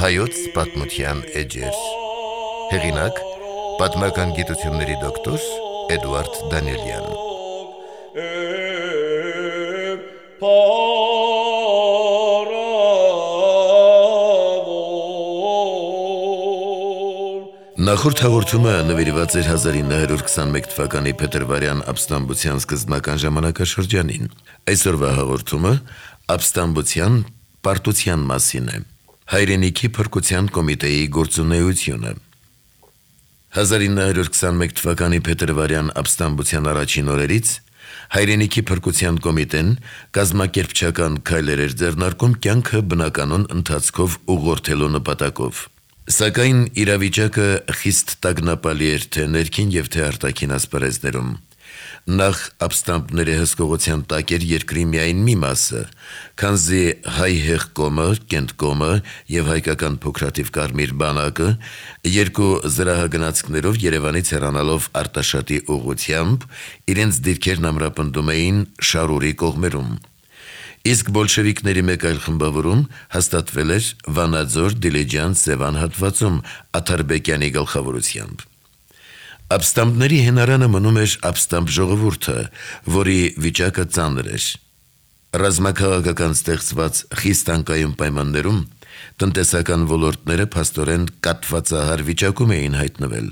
Հայոց պատմության էջեր հեղինակ պատմական գիտությունների դոկտոր Էդուարդ Դանիելյան Նախորդ հաղորդումը նվիրված էր 1921 թվականի փետրվարյան ապստամբության սկզբնական ժամանակաշրջանին։ Այսօրվա հաղորդումը ապստամբության պարտության մասին է։ Հայրենիքի փրկության կոմիտեի գործունեությունը 1921 թվականի փետրվարյան ապստամբության առաջին օրերից Հայրենիքի փրկության կոմիտեն կազմակերպչական քայլեր էր ձեռնարկում կյանքը բնականոն ընթացքով ուղղորդելու նպատակով։ Սակայն իրավիճակը խիստ տագնապալի էր թե ներքին եւ թե արտաքին ասպարեզներում։ Նախ ապստամբների հսկողության տակ էր երկրի միայն մի մասը, քանզի հայ հեղկոմը, կենտկոմը եւ հայկական փոքրաթիվ կարմիր բանակը երկու զրահագնացքներով Երևանից հեռանալով Արտաշատի ուղղությամբ իրենց դիրքերն ամրապնդում էին Շարուրի կողմերում։ Իսկ բոլշևիկների մեկ այլ խմբավորում հաստատվել էր Վանաձոր, Դիլիջան, Սևան հատվածում Աթարբեկյանի գլխավորությամբ։ Ապստամբների հենարանը մնում էր ապստամբ ժողովուրդը, որի վիճակը ծանր էր։ Ռազմաքաղաքական ստեղծված խիստ անկայուն պայմաններում տնտեսական ոլորտները փաստորեն կաթվածահար վիճակում էին հայտնվել։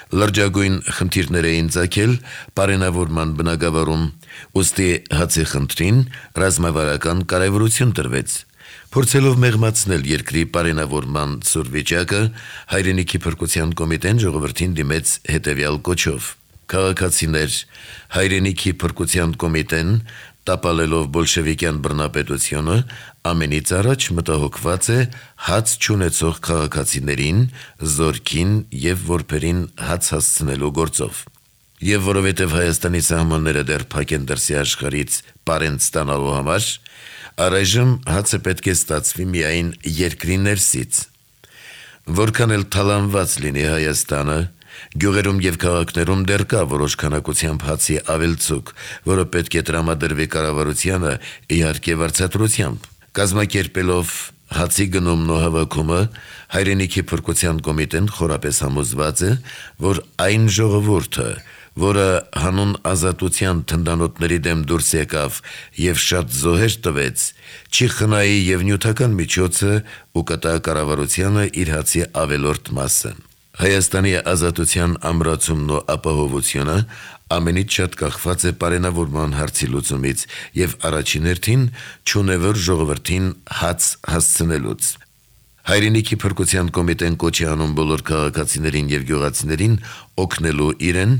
Լրջագույն խնդիրներ էին ծագել պարենավորման բնագավառում, ուստի հացի խնդրին ռազմավարական կարևորություն տրվեց։ Փորձելով մեղմացնել երկրի պարենավորման ցուրտ վիճակը, Հայրենիքի փրկության կոմիտեն ժողովրդին դիմեց հետևյալ կոչով. Քաղաքացիներ, Հայրենիքի փրկության կոմիտեն, տապալելով բոլշևիկյան բռնապետությունը, ամենից առաջ մտահոգված է հաց չունեցող քաղաքացիներին, զորքին եւ որբերին հաց հասցնելու գործով։ Եվ որովհետև Հայաստանի սահմանները դեռ փակ են դրսի աշխարհից պարենտ ստանալու համար, առայժմ հացը պետք է ստացվի միայն երկրի ներսից։ Որքան էլ թալանված լինի Հայաստանը, գյուղերում եւ քաղաքներում դեռ կա որոշ քանակությամբ հացի ավելցուկ, որը պետք է տրամադրվի կառավարությանը իհարկե վարձատրությամբ։ Կազմակերպելով հացի գնումն ու հավաքումը, Հայրենիքի փրկության կոմիտեն խորապես համոզված է, որ այն ժողովուրդը, որը հանուն ազատության թնդանոթների դեմ դուրս եկավ եւ շատ զոհեր տվեց, չի խնայի եւ նյութական միջոցը ու կտա կառավարությանը իր հացի ավելորդ մասը։ Հայաստանի ազատության ամրացումն ու ապահովությունը ամենից շատ կախված է պարենավորման հարցի լուծումից եւ առաջին հերթին չունևոր ժողովրդին հաց հասցնելուց։ Հայրենիքի փրկության կոմիտեն կոչ է անում բոլոր քաղաքացիներին եւ գյուղացիներին օգնելու իրեն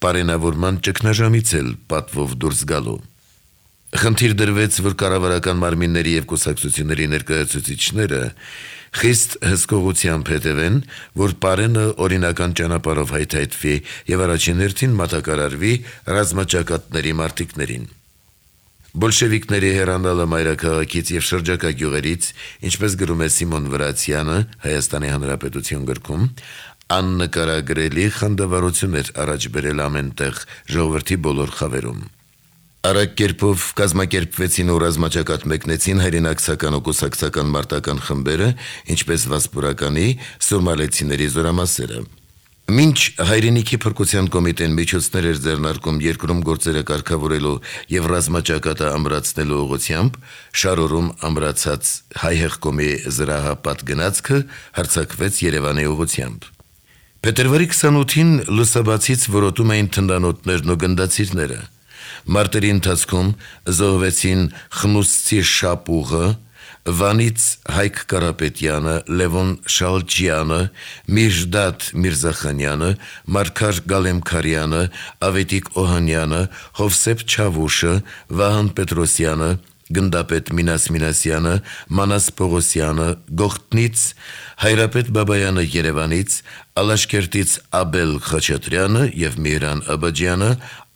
պարենավորման ճգնաժամից էլ պատվով դուրս գալու։ Խնդիր դրվեց, որ կառավարական մարմինների եւ կուսակցությունների ներկայացուցիչները խիստ հսկողությամբ հետևեն, որ պարենը օրինական ճանապարհով հայթայթվի եւ առաջին հերթին մատակարարվի ռազմաճակատների մարտիկներին։ Բոլշևիկների հեռանալը մայրաքաղաքից եւ շրջակա գյուղերից, ինչպես գրում է Սիմոն Վրացյանը Հայաստանի Հանրապետություն գրքում, աննկարագրելի խանդավառություն էր առաջ բերել ամենտեղ ժողովրդի բոլոր խավերում։ Արագ կերպով կազմակերպվեցին ու ռազմաճակատ մեկնեցին հայրենակցական ու կուսակցական մարտական խմբերը, ինչպես Վասպուրականի, Սուրմալեցիների զորամասերը։ Մինչ Հայրենիքի փրկության կոմիտեն միջոցներ էր ձեռնարկում երկրում գործերը կարգավորելու եւ ռազմաճակատը ամրացնելու ուղղությամբ, Շարուրում ամրացած հայ հեղկոմի զրահապատ գնացքը հարձակվեց Երևանի ուղղությամբ։ Փետրվարի 28-ին լուսաբացից որոտում էին թնդանոթներն ու գնդացիրները։ Մարտերի ընթացքում զոհվեցին Խնուսցի Շապուղը, Վանից Հայկ Կարապետյանը, Լևոն Շալջյանը, Միրժդատ Միրզախանյանը, Մարգար Գալեմքարյանը, Ավետիք Օհանյանը, Հովսեփ Չավուշը, Վահան Պետրոսյանը, Գնդապետ Մինաս Մինասյանը, Մանաս Պողոսյանը, Գողթնից Հայրապետ Բաբայանը Երևանից, Ալաշկերտից Աբել Խաչատրյանը եւ Միհրան Աբաջյանը,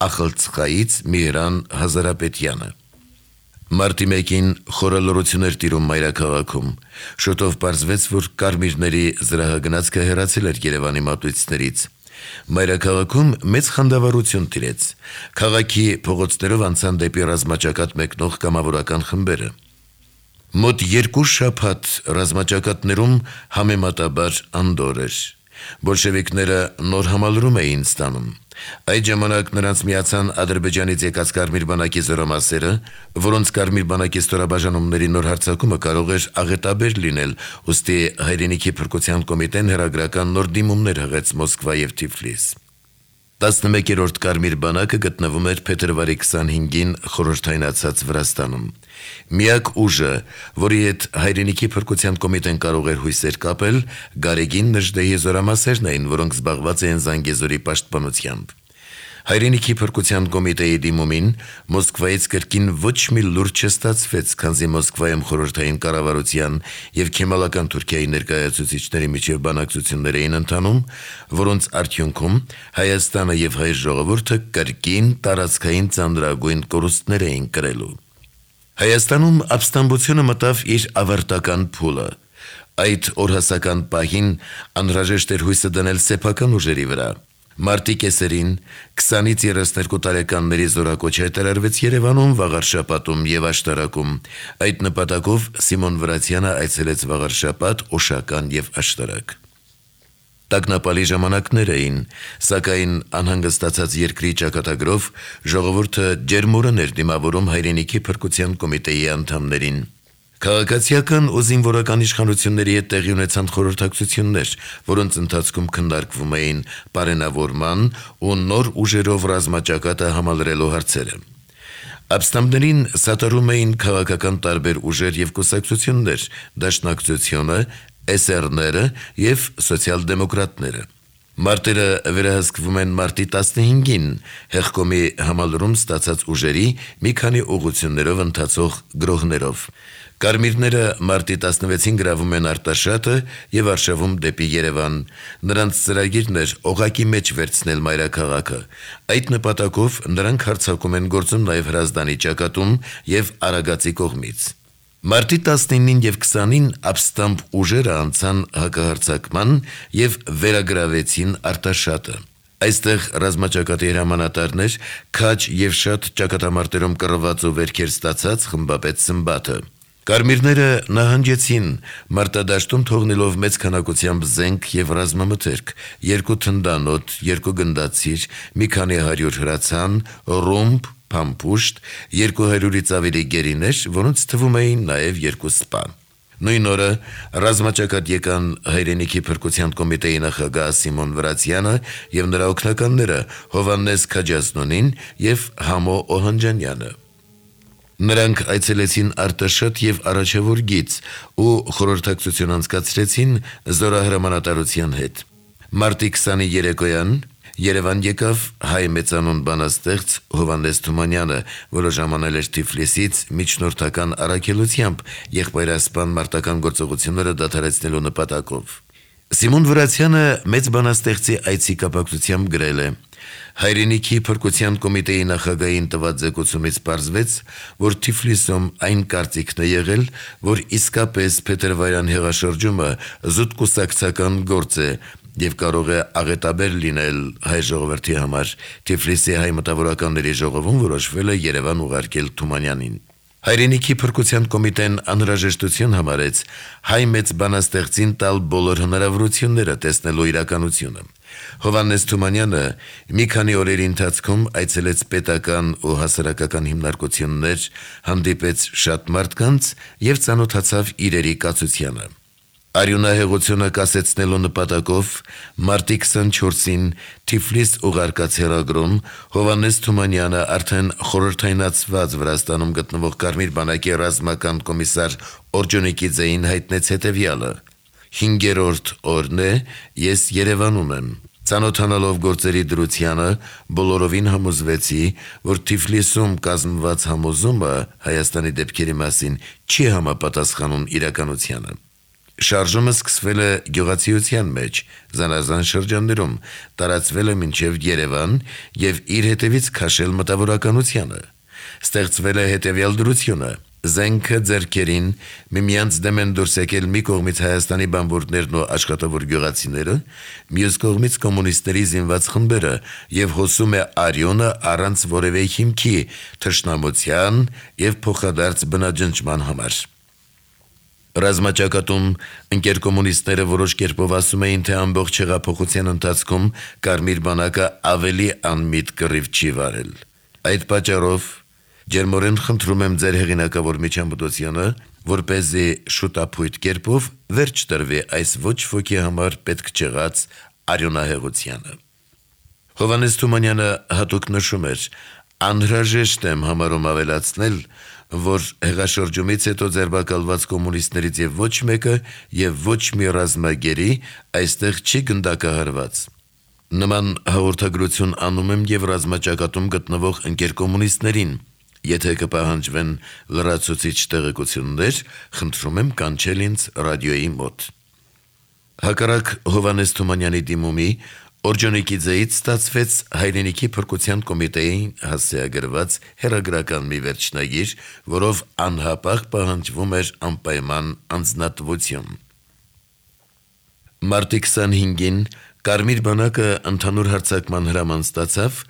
Ախալցխայից Միհրան Հազարապետյանը։ Մարտի 1-ին խորալորություն էր տիրում մայրաքաղաքում։ Շուտով պարզվեց, որ կարմիրների զրահագնացքը հեռացել էր Երևանի մատույցներից։ Մայրաքաղաքում մեծ խանդավառություն տիրեց։ Քաղաքի փողոցներով անցան դեպի ռազմաճակատ մեկնող կամավորական խմբերը։ Մոտ 2 շաբաթ ռազմաճակատներում համեմատաբար անդորր էր։ Բոլշևիկները նոր համալրում էին ստանում։ Այդ ժամանակ նրանց միացան Ադրբեջանից եկած Կարմիր բանակի զորամասերը, որոնց Կարմիր բանակի ստորաբաժանումների նոր հարձակումը կարող էր աղետաբեր լինել, ուստի հայրենիքի փրկության կոմիտեն հերագրական նոր դիմումներ հղեց Մոսկվա եւ Թիֆլիս։ 11-րդ Կարմիր բանակը գտնվում էր փետրվարի 25-ին խորհրդայնացած Վրաստանում։ Միակ ուժը, որի հետ հայրենիքի փրկության կոմիտեն կարող էր հույսեր կապել, Գարեգին Նժդեհի զորամասերն էին, որոնք զբաղված էին Զանգեզուրի պաշտպանությամբ։ Հայրենիքի փրկության կոմիտեի դիմումին Մոսկվայից կրկին ոչ մի լուրջ չստացվեց, քանզի Մոսկվայում խորհրդային կառավարության եւ քեմալական Թուրքիայի ներկայացուցիչների միջև բանակցություններ էին ընթանում, որոնց արդյունքում Հայաստանը եւ հայ ժողովուրդը կրկին տարածքային ծանրագույն կորուստներ էին կրելու։ Հայաստանում ապստամբությունը մտավ իր ավարտական փուլը։ Այդ օրհասական պահին անհրաժեշտ էր հույսը դնել սեփական ուժերի վրա։ Մարտի կեսերին 20-ից 32 տարեկանների զորակոչ հայտարարվեց Երևանում, Վաղարշապատում եւ Աշտարակում։ Այդ նպատակով Սիմոն Վրացյանը այցելեց Վաղարշապատ, Օշական եւ Աշտարակ։ Տագնապալի ժամանակներ էին, սակայն անհանգստացած երկրի ճակատագրով ժողովուրդը ջերմորեն էր դիմավորում հայրենիքի փրկության կոմիտեի անդամներին։ Քաղաքացիական ու զինվորական իշխանությունների հետ տեղի ունեցան խորհրդակցություններ, որոնց ընթացքում քննարկվում էին պարենավորման ու նոր ուժերով ռազմաճակատը համալրելու հարցերը։ Ապստամբներին սատարում էին քաղաքական տարբեր ուժեր եւ կուսակցություններ, Դաշնակցությունը, SR-ները եւ սոցիալ-դեմոկրատները։ Մարտերը վերահսկվում են մարտի 15-ին հեղկոմի համալրում ստացած ուժերի մի քանի ուղղություններով ընթացող գրոհներով։ Կարմիրները մարտի 16-ին գրավում են Արտաշատը եւ արշավում դեպի Երևան։ Նրանց ծրագիրն էր օղակի մեջ վերցնել մայրաքաղաքը։ Այդ նպատակով նրանք հարձակում են գործում նաեւ Հրազդանի ճակատում եւ Արագածի կողմից։ Մարտի 19-ին եւ 20-ին ապստամբ ուժերը անցան հակահարձակման եւ վերագրավեցին Արտաշատը։ Այստեղ ռազմաճակատի հրամանատարներ քաջ եւ շատ ճակատամարտերում կռված ու վերքեր ստացած խմբապետ Սմբաթը։ Կարմիրները նահանջեցին մարտադաշտում թողնելով մեծ քանակությամբ զենք եւ ռազմամթերք, 2 թնդանոթ, 2 գնդացիր, մի քանի 100 հրացան, ռումբ, փամփուշտ, 200-ից ավելի գերիներ, որոնց թվում էին նաեւ 2 սպա։ Նույն օրը ռազմաճակատ եկան հայրենիքի փրկության կոմիտեի նախագահ Սիմոն Վրացյանը եւ նրա օգնականները Հովհաննես Քաջազնոնին եւ Համո Օհանջանյանը։ Նրանք այցելեցին Արտաշատ եւ Արաչևոր գիծ ու խորհրդակցություն անցկացրեցին զորահրամանատարության հետ։ Մարտի 20-ի երեկոյան Երևան եկավ հայ մեծանուն բանաստեղծ Հովհաննես Թումանյանը, որը ժամանել էր Թիֆլիսից միջնորդական առաքելությամբ եղբայրասպան մարտական գործողությունները դադարեցնելու նպատակով։ Սիմոն Վրացյանը մեծ բանաստեղծի այցի կապակցությամբ գրել է. Հայրենիքի փրկության կոմիտեի նախագահին տված զեկուցումից պարզվեց, որ Թիֆլիսում այն կարծիքն է եղել, որ իսկապես փետրվարյան հեղաշրջումը զուտ կուսակցական գործ է եւ կարող է աղետաբեր լինել հայ ժողովրդի համար։ Թիֆլիսի հայ մտավորականների ժողովում որոշվել է Երևան ուղարկել Թումանյանին։ Հայրենիքի փրկության կոմիտեն անհրաժեշտություն համարեց հայ մեծ բանաստեղծին տալ բոլոր հնարավորությունները տեսնելու իրականությունը։ Հովհաննես Թումանյանը մի քանի օրերի ընթացքում այցելեց պետական ու հասարակական հիմնարկություններ, հանդիպեց շատ մարդկանց եւ ծանոթացավ իրերի կացությանը։ Արյունահեղությունը կասեցնելու նպատակով մարտի 24-ին Թիֆլիս ուղարկած հեռագրում Հովհաննես Թումանյանը արդեն խորհրդայնացված Վրաստանում գտնվող Կարմիր բանակի ռազմական կոմիսար Օրջոնիկիձեին հայտնեց հետևյալը. 5-րդ օրն է, ես Երևանում եմ։ Ծանոթանալով գործերի դրությանը բոլորովին համոզվեցի, որ Թիֆլիսում կազմված համոզումը Հայաստանի դեպքերի մասին չի համապատասխանում իրականությանը։ Շարժումը սկսվել է գյուղացիության մեջ, զանազան շրջաններում, տարածվել է մինչև Երևան եւ իր հետևից քաշել մտավորականությանը։ Ստեղծվել է հետևյալ դրությունը. Զենքը ձեռքերին միմյանց դեմ են դուրս եկել մի կողմից Հայաստանի բանվորներն ու աշխատավոր գյուղացիները, մյուս կողմից կոմունիստների զինված խմբերը եւ հոսում է արյունը առանց որևէ հիմքի թշնամության եւ փոխադարձ բնաջնջման համար։ Ռազմաճակատում ընկեր կոմունիստները որոշ կերպով ասում էին, թե ամբողջ հեղափոխության ընթացքում Կարմիր բանակը ավելի անմիտ կռիվ չի վարել։ Այդ պատճառով ջերմորեն խնդրում եմ ձեր հեղինակավոր միջամտությունը, որպեսզի շուտապույտ կերպով վերջ տրվի այս ոչ ոքի համար պետք չեղած արյունահեղությանը։ Հովհաննես Թումանյանը հատուկ նշում էր. անհրաժեշտ եմ համարում ավելացնել, որ հեղաշրջումից հետո ձերբակալված կոմունիստներից եւ ոչ մեկը եւ ոչ մի ռազմագերի այստեղ չի գնդակահարված։ Նման հաղորդագրություն անում եմ եւ ռազմաճակատում գտնվող ընկեր կոմունիստներին, եթե կպահանջվեն լրացուցիչ տեղեկություններ, խնդրում եմ կանչել ինձ ռադիոյի մոտ։ Հակառակ Հովհաննես Թումանյանի դիմումի Օրջոնիկիձեից ստացվեց հայրենիքի փրկության կոմիտեին հասցեագրված հերագրական մի վերջնագիր, որով անհապաղ պահանջվում էր անպայման անձնատվություն։ Մարտի 25-ին Կարմիր բանակը ընդհանուր հարձակման հրաման ստացավ,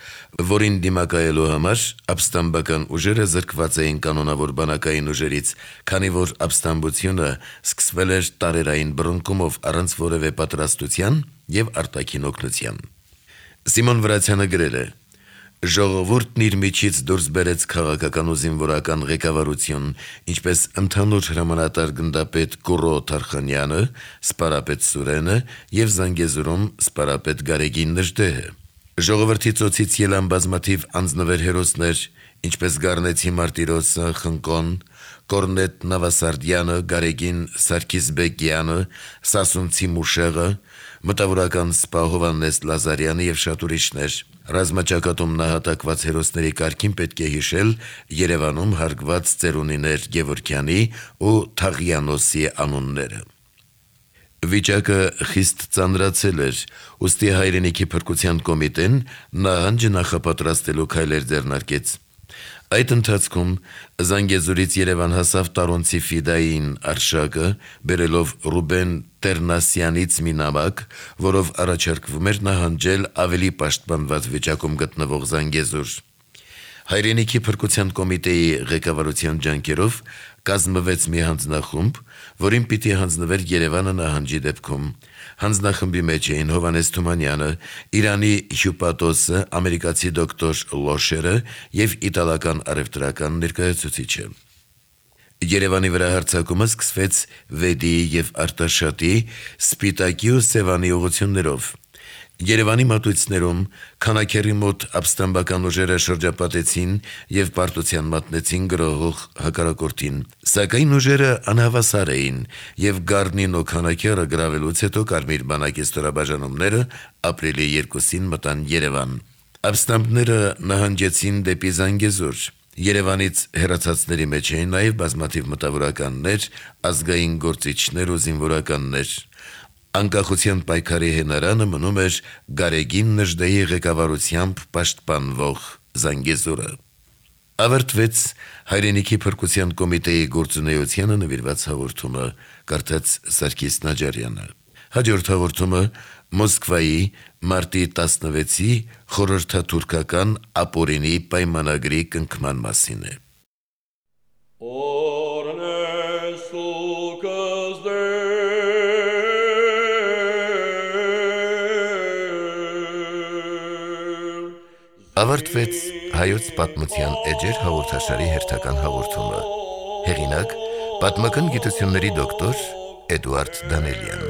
որին դիմակայելու համար ապստամբական ուժերը զրկված էին կանոնավոր բանակային ուժերից, քանի որ ապստամբությունը սկսվել էր տարերային բռնկումով առանց որևէ պատրաստության եւ արտաքին օգնության։ Սիմոն Վրացյանը գրել է. Ժողովուրդն իր միջից դուրս բերեց քաղաքական ու զինվորական ղեկավարություն, ինչպես ընդհանուր հրամանատար գնդապետ Կուրո Թարխանյանը, սպարապետ Սուրենը եւ Զանգեզուրում սպարապետ Գարեգին Նժդեհը։ Ժողովրդի ծոցից ելան բազմաթիվ անձնվեր հերոսներ, ինչպես Գառնեցի Մարտիրոսը, Խնկոն, Կորնետ Նավասարդյանը, Գարեգին Սարգիսբեկյանը, Սասունցի Մուշեղը, մտավորական սպա Հովհաննես Լազարյանը եւ շատ ուրիշներ։ Ռազմաճակատում նահատակված հերոսների կարգին պետք է հիշել Երևանում հարգված ծերունիներ Գևորգյանի ու Թաղյանոսի անունները։ Վիճակը խիստ ծանրացել էր, ուստի հայրենիքի փրկության կոմիտեն նահանջը նախապատրաստելու քայլեր ձեռնարկեց։ Այդ ընթացքում Զանգեզուրից Երևան հասավ Տարոնցի Ֆիդային արշակը, բերելով Ռուբեն Տերնասյանից մի նամակ, որով առաջարկվում էր նահանջել ավելի պաշտպանված վիճակում գտնվող Զանգեզուր։ Հայրենիքի փրկության կոմիտեի ղեկավարության ջանքերով կազմվեց մի հանձնախումբ, որին պիտի հանձնվեր Երևանը նահանջի դեպքում։ Հանձնախմբի մեջ էին Հովհաննես Թումանյանը, Իրանի հյուպատոսը, ամերիկացի դոկտոր Լոշերը եւ իտալական առևտրական ներկայացուցիչը։ Երևանի վրա հարձակումը սկսվեց Վեդիի եւ Արտաշատի, Սպիտակի ու Սևանի ուղություններով։ Երևանի մատույցներում քանաքերի մոտ ապստամբական ուժերը շրջապատեցին եւ պարտության մատնեցին գրոհող հակառակորդին, սակայն ուժերը անհավասար էին եւ Գառնին ու քանաքերը գրավելուց հետո Կարմիր բանակի ստորաբաժանումները ապրիլի 2-ին մտան Երևան։ Ապստամբները նահանջեցին դեպի Զանգեզուր։ Երևանից հեռացածների մեջ էին նաեւ բազմաթիվ մտավորականներ, ազգային գործիչներ ու զինվորականներ։ Անկախության պայքարի հենարանը մնում էր Գարեգին Նժդեհի ղեկավարությամբ պաշտպանվող Զանգեզուրը։ Ավարտվեց հայրենիքի փրկության կոմիտեի գործունեությանը նվիրված հաղորդումը, կարդաց Սարգիս Նաջարյանը։ Հաջորդ հաղորդումը Մոսկվայի մարտի 16-ի խորհրդաթուրքական ապօրինի պայմանագրի կնքման մասին է։ Ավարտվեց հայոց պատմության էջեր հաղորդաշարի հերթական հաղորդումը։ Հեղինակ՝ պատմական գիտությունների դոկտոր Էդուարդ Դանելյան։